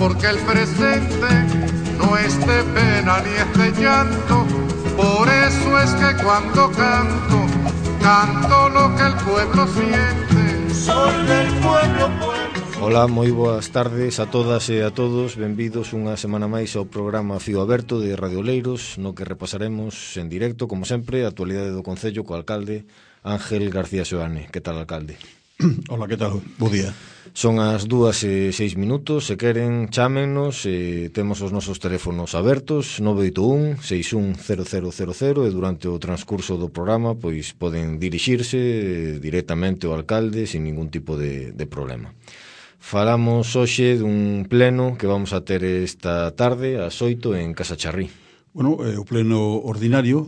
porque el presente no es de pena ni es de llanto. Por eso es que cuando canto, canto lo que el pueblo siente. Soy del pueblo, pueblo. Ola, moi boas tardes a todas e a todos. Benvidos unha semana máis ao programa Fío Aberto de Radio Oleiros, no que repasaremos en directo, como sempre, a actualidade do Concello co alcalde Ángel García Seoane. Que tal, alcalde? Hola, que tal? Bo día. Son as 2:06, se queren, chámennos, temos os nosos teléfonos abertos, 981 610000, e durante o transcurso do programa pois poden dirixirse directamente ao alcalde sin ningún tipo de problema. Falamos hoxe dun pleno que vamos a ter esta tarde ás 8 en Casa Charrí. Bueno, o pleno ordinario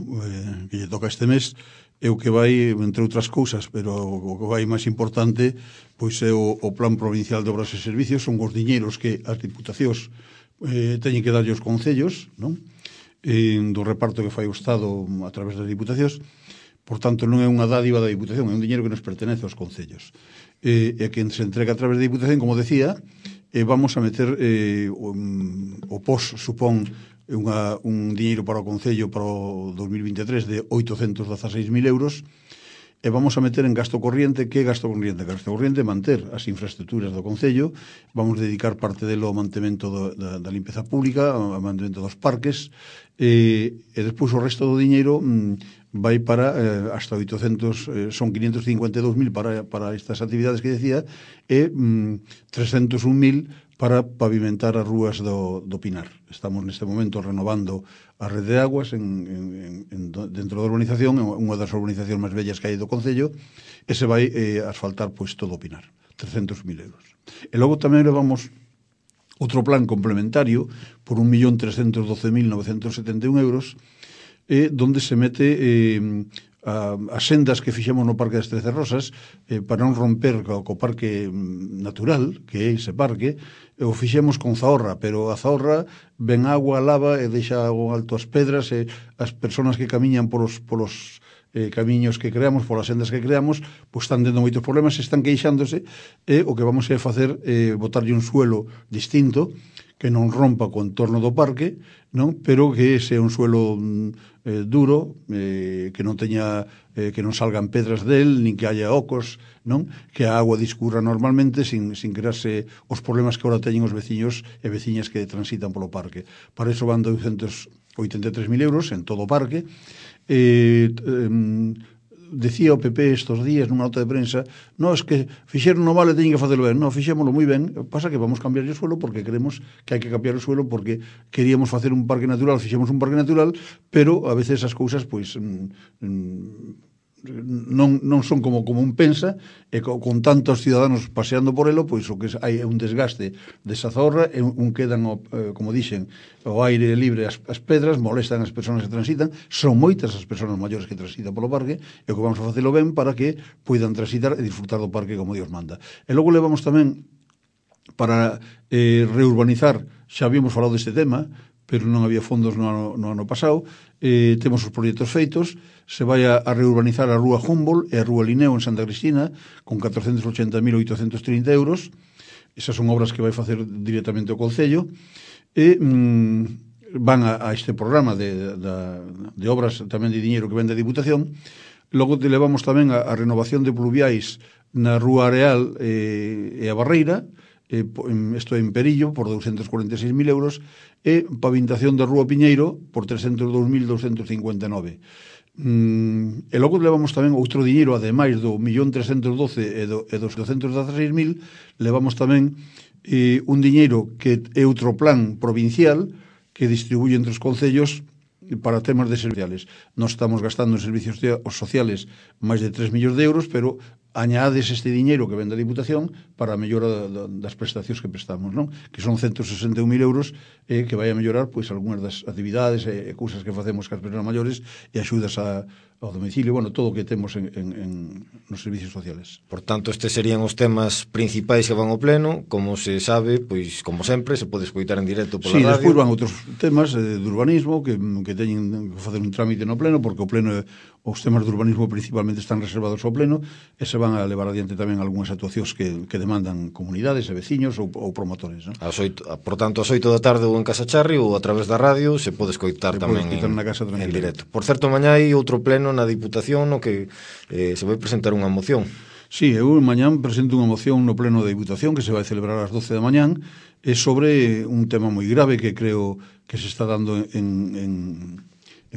que lle toca este mes é o que vai, entre outras cousas, pero o que vai máis importante pois é o Plan Provincial de Obras e Servicios. Son os diñeiros que as diputacións teñen que darlle aos concellos, non? Do reparto que fai o Estado a través das diputacións. Por tanto, non é unha dádiva da diputación, é un diñeiro que nos pertenece aos concellos. E que se entrega a través da diputación, como decía, vamos a meter o POS supón un diñeiro para o Concello para o 2023 de 816.000 euros, e vamos a meter en gasto corriente. Que gasto corriente? Gasto corriente manter as infraestructuras do Concello, vamos dedicar parte delo ao mantemento da limpeza pública, ao mantemento dos parques, e despois o resto do diñeiro vai para hasta 800, son 552.000 para estas actividades que decía, e 301.000 para pavimentar as rúas do Pinar. Estamos neste momento renovando a rede de aguas dentro da urbanización, unha das urbanizacións máis bellas que hai do Concello, e se vai asfaltar pois todo o Pinar, 300.000 euros. E logo tamén levamos outro plan complementario por 1.312.971 euros, donde se mete as sendas que fixemos no Parque das Trece Rosas, para non romper co parque natural, que é ese parque. O fixemos con Zahorra, pero a Zahorra ven agua, lava e deixa alto as pedras, e as persoas que camiñan polos camiños que creamos, polas sendas que creamos, pois están tendo moitos problemas, están queixándose, e o que vamos a facer é botarlle un suelo distinto, que non rompa co entorno do parque, non? Pero que sea un suelo duro, que non teña, que non salgan pedras del, nin que haya ocos, non? Que a agua discurra normalmente sin crearse os problemas que ahora teñen os veciños e veciñas que transitan polo parque. Para iso van 283.000 euros en todo o parque. Decía o PP estos días nunha nota de prensa, non, es que fixeron no mal e teñen que facelo ben. Non, fixémoslo moi ben, pasa que vamos cambiar o suelo porque creemos que hai que cambiar o suelo, porque queríamos facer un parque natural, fixemos un parque natural, pero a veces as cousas pois non son como un pensa, e con tantos ciudadanos paseando por elo, pois o que hai é un desgaste desa Zahorra, e quedan, como dixen, o aire libre, as pedras, molestan as persoas que transitan. Son moitas as persoas maiores que transitan polo parque, e o que vamos a facelo ben para que poidan transitar e disfrutar do parque como Dios manda. E logo levamos tamén para reurbanizar, xa habíamos falado deste tema, pero non había fondos no ano pasado. Temos os proxectos feitos. Se vai a reurbanizar a Rúa Humboldt e a Rúa Linneo en Santa Cristina con 480.830 euros. Esas son obras que vai facer directamente o Concello, e van a este programa de obras tamén de diñeiro que ven da Diputación. Logo levamos tamén a renovación de pluviais na Rúa Areal e a Barreira, isto en Perillo, por 246.000 euros, e pavimentación da Rúa Piñeiro por 302.259. E logo levamos tamén outro diñeiro, ademais do 1.312 e dos 216.000, levamos tamén un diñeiro que é outro plan provincial que distribuye entre os concellos para temas de servicios. Nós estamos gastando en servicios sociales máis de 3 millóns de euros, pero añades este diñeiro que ven da Diputación para a mellora das prestacións que prestamos, non? Que son 161.000 euros, que vai a mellorar pois algunhas das actividades e cousas que facemos cas persoas maiores, e axudas ao domicilio, bueno, todo o que temos nos servicios sociales. Por tanto, estes serían os temas principais que van ao pleno. Como se sabe, pois, como sempre, se pode escoitar en directo pola radio. Despois van outros temas de urbanismo que teñen que facer un trámite no pleno, porque o pleno, os temas de urbanismo principalmente están reservados ao pleno, e se van van a levar adiante tamén algunhas actuacións que demandan comunidades e veciños ou promotores, non? Por tanto, ás 8 da tarde ou en Casa Charri ou a través da radio se pode escoitar tamén na casa en directo. Por certo, mañá hai outro pleno na Diputación no que se vai presentar unha moción. Sí, eu mañán presento unha moción no pleno da Diputación que se vai celebrar ás 12 da mañán, é sobre un tema moi grave que creo que se está dando en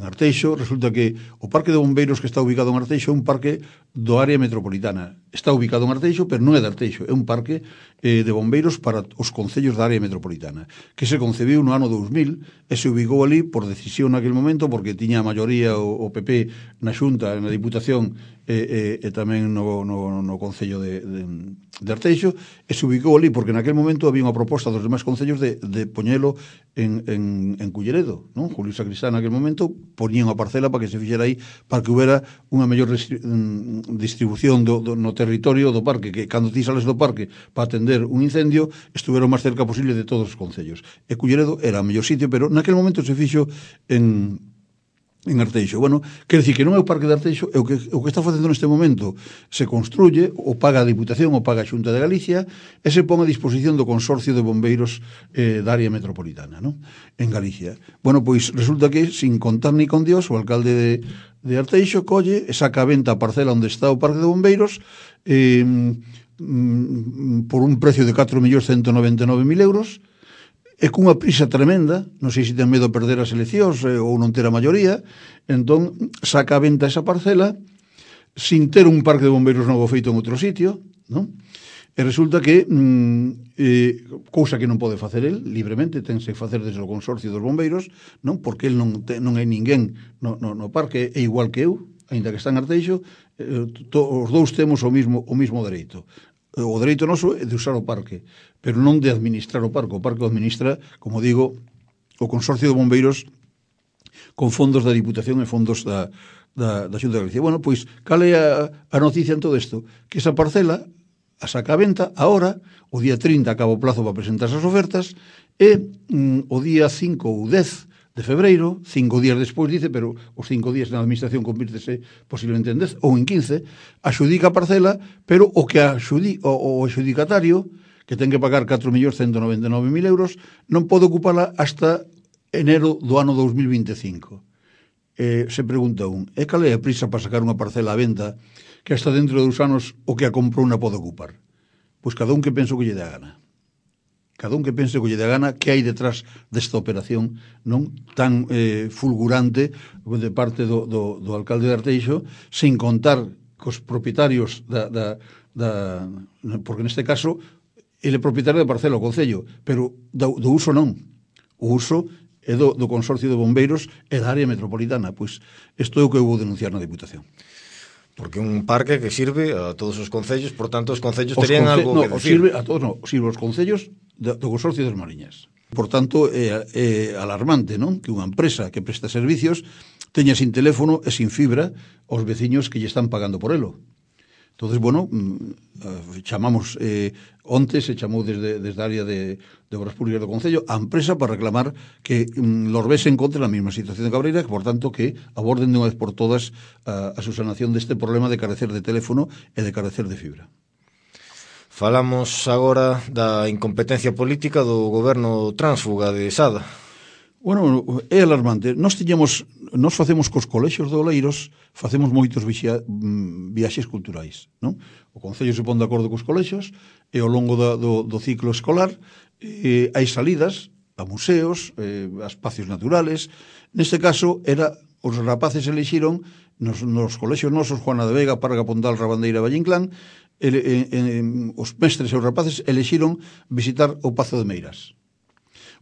Arteixo. Resulta que o Parque de Bombeiros que está ubicado en Arteixo é un parque do área metropolitana. Está ubicado en Arteixo, pero non é de Arteixo, é un parque de bombeiros para os concellos da área metropolitana, que se concebiu no ano 2000 e se ubicou ali por decisión naquele momento, porque tiña a maioría o PP na Xunta, na Diputación e tamén no Concello de Arteixo, e se ubicou ali porque naquele momento había unha proposta dos demais concellos de poñelo en Culleredo, non? Julio Sacristán naquele momento poñía unha parcela para que se fixera aí, para que houbera unha mellor distribución no territorio do parque, que cando ti sales do parque para atender un incendio estuvera o máis cerca posible de todos os concellos. E Culleredo era o mellor sitio, pero naquele momento se fixo en Arteixo. Bueno, quer dicir que non é o Parque de Arteixo, o que está facendo neste momento se construye, o paga a Diputación, o paga a Xunta de Galicia, e se pon a disposición do Consorcio de Bombeiros da área metropolitana, non? En Galicia. Bueno, pois resulta que, sin contar ni con Dios, o alcalde de Arteixo colle e saca a venta a parcela onde está o Parque de Bombeiros por un precio de 4.199.000 euros, e cunha prisa tremenda, non sei se ten medo de perder as eleccións ou non ter a maioría, entón saca a venta esa parcela sin ter un parque de bombeiros novo feito en outro sitio, non? E resulta que cousa que non pode facer el libremente, tense que facer desde o Consorcio dos Bombeiros, non? Porque el non hai ninguén no parque, é igual que eu, aínda que está en Arteixo, os dous temos o mismo dereito. O dereito noso é de usar o parque, pero non de administrar o parque. O parque o administra, como digo, o Consorcio de Bombeiros con fondos da Diputación e fondos da Xunta de Galicia. Bueno, pois, cal é a noticia en todo isto? Que esa parcela a saca a venta, ahora, o día 30 acaba o plazo para presentar as ofertas, e o día 5 ou 10 de febreiro, 5 días despois, dice, pero os 5 días na administración convírtese posiblemente en 10 ou en 15, axudica a parcela, pero o adjudicatario, que ten que pagar 4.199.000 euros, non pode ocupala hasta enero do ano 2025. Se pregunta é cal é a prisa para sacar unha parcela a venta que hasta dentro de 2 anos o que a comprou non pode ocupar? Pois cada un que penso que lle dá gana. Cada un que pense que lle dá gana que hai detrás desta operación non tan fulgurante de parte do alcalde de Arteixo, sin contar cos propietarios porque neste caso ele é propietario da parcela, o Concello, pero do uso non. O uso é do Consorcio de Bombeiros e da área metropolitana. Pois isto é o que eu vou denunciar na Diputación. Porque un parque que sirve a todos os concellos, por tanto os concellos terían algo que decir. Sirve a todos, sirve aos concellos do Consorcio das Mariñas. Por tanto, é alarmante, non? Que unha empresa que presta servicios teña sin teléfono e sin fibra os veciños que lle están pagando por elo. Entonces, bueno, chamamos, onte se chamou desde a área de Obras Públicas do Concello a empresa para reclamar que Lorbés se encontre na mesma situación de Cabreira, que, por tanto, que aborden de unha vez por todas a subsanación deste problema de carecer de teléfono e de carecer de fibra. Falamos agora da incompetencia política do goberno tránsfuga de Sada. Bueno, é alarmante. Nós facemos cos colexios de Oleiros, facemos moitos viaxes culturais, non? O Concello se pon de acordo cos colexios e ao longo do ciclo escolar hai salidas a museos, a espacios naturales. Neste caso, os rapaces elixiron nos colexios nosos, Juana de Vega, Parga, Pondal, Rabandeira, Vallinclán, os mestres e os rapaces elixiron visitar o Pazo de Meirás.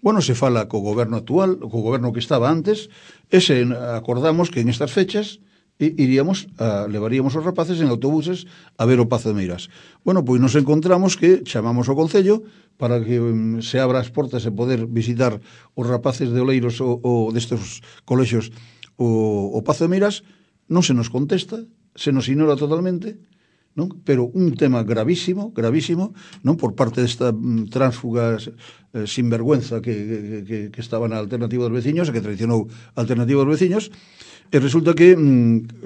Bueno, se fala co goberno actual, co goberno que estaba antes, e se acordamos que en estas fechas levaríamos os rapaces en autobuses a ver o Pazo de Meirás. Bueno, pois nos encontramos que chamamos ao Concello para que se abra as portas e poder visitar os rapaces de Oleiros ou destes colexios o Pazo de Meirás. Non se nos contesta, se nos ignora totalmente, non? Pero un tema gravísimo, non, por parte desta tránsfuga sinvergüenza que estaba na Alternativa dos Veciños e que traicionou a Alternativa dos Veciños, e resulta que,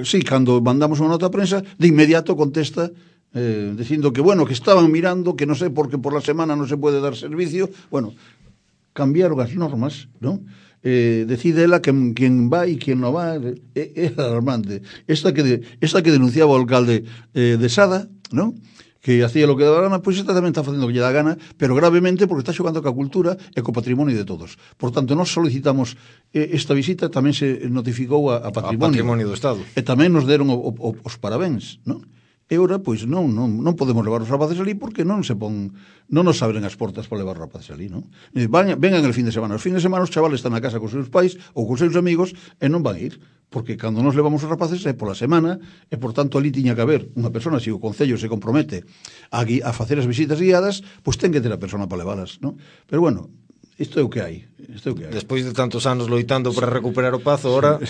sí, cando mandamos unha nota a prensa, de inmediato contesta dicindo que, bueno, que estaban mirando, que non sei por que por la semana non se pode dar servicio. Bueno, cambiaron as normas, non? Decide ela quen vai e quen non vai. É alarmante. Esta que denunciaba o alcalde de Sada, non? Que hacía lo que daba gana, pois esta tamén está facendo o que lle dá gana, pero gravemente porque está xogando ca cultura e co patrimonio de todos. Por tanto, nós solicitamos esta visita, tamén se notificou a Patrimonio do Estado. E tamén nos deron os parabéns, non? E ora, pois, non podemos levar os rapaces ali porque non nos abren as portas para levar os rapaces ali, non? Vengan el fin de semana. Os fin de semana os chavales están na casa cos seus pais ou cos seus amigos e non van ir, porque cando nos levamos os rapaces é pola semana e, por tanto, ali tiña que haber unha persona, se o Concello se compromete a facer as visitas guiadas, pois ten que ter a persona para leválas, non? Pero, bueno, isto é o que hai. Despois de tantos anos loitando para recuperar o Pazo, ahora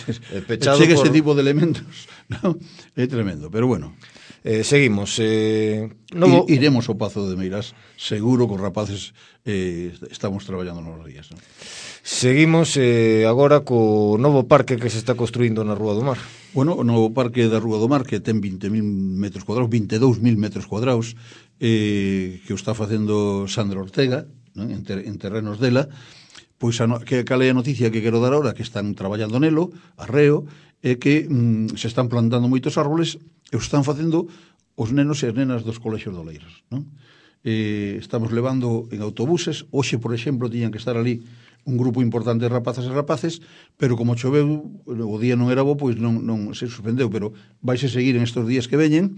pechado chega ese tipo de elementos, non? É tremendo, pero bueno. Seguimos. Iremos ao Pazo de Meirás, seguro que os rapaces estamos traballando nos días, non? Seguimos agora co novo parque que se está construindo na Rúa do Mar. Bueno, o novo parque da Rúa do Mar, que ten 20.000 metros cuadrados, 22.000 metros cuadrados, que o está facendo Sandra Ortega, non? En terrenos dela. Pois cal é a noticia que quero dar ahora, que están traballando nelo, arreo, é que se están plantando moitos árboles e os están facendo os nenos e as nenas dos colexios de Oleiros, non? Estamos levando en autobuses. Hoxe, por exemplo, tiñan que estar ali un grupo importante de rapazas e rapaces, pero como choveu, o día non era bo, pois non se suspendeu, pero vaise seguir en estes días que veñen.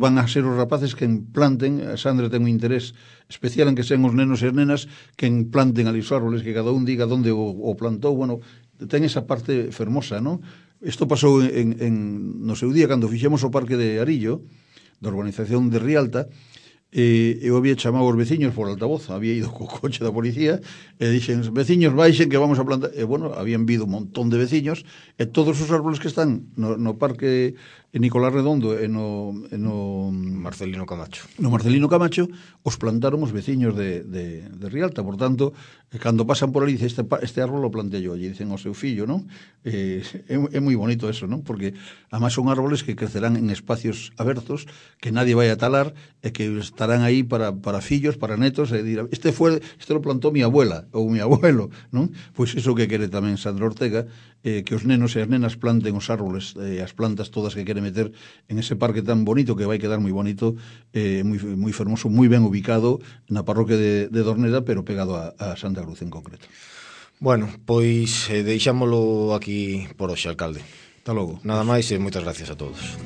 Van a ser os rapaces que planten. A Sandra ten un interés especial en que sean os nenos e as nenas que planten ali os árboles, que cada un diga onde o plantou. Bueno, ten esa parte fermosa, non? Isto pasou no seu día, cando fixemos o parque de Arillo, da urbanización de Rialta. Eu había chamado aos veciños por altavoz, había ido co coche da policía e dixen, veciños, baixen que vamos a plantar. E bueno, habían vido un montón de veciños e todos os árboles que están no parque Nicolás Redondo e no Marcelino Camacho. No Marcelino Camacho os plantaron os veciños de Rialta. Por tanto, cando pasan por ali, dice, este árbol lo plantei yo, e dicen ao seu fillo, non? É moi bonito eso, non? Porque además son árboles que crecerán en espacios abertos, que nadie vai a talar e que estarán aí para fillos, para netos, e dirán, este lo plantó mi abuela ou mi abuelo, non? Pois iso que quere tamén Sandra Ortega, que os nenos e as nenas planten os árboles, as plantas todas que quere meter en ese parque tan bonito, que vai quedar moi bonito, moi fermoso, moi ben ubicado na parroquia de Dorneda, pero pegado a Santa Cruz en concreto. Bueno, pois deixámolo aquí por hoxe, alcalde. Hasta logo. Nada máis e moitas gracias a todos.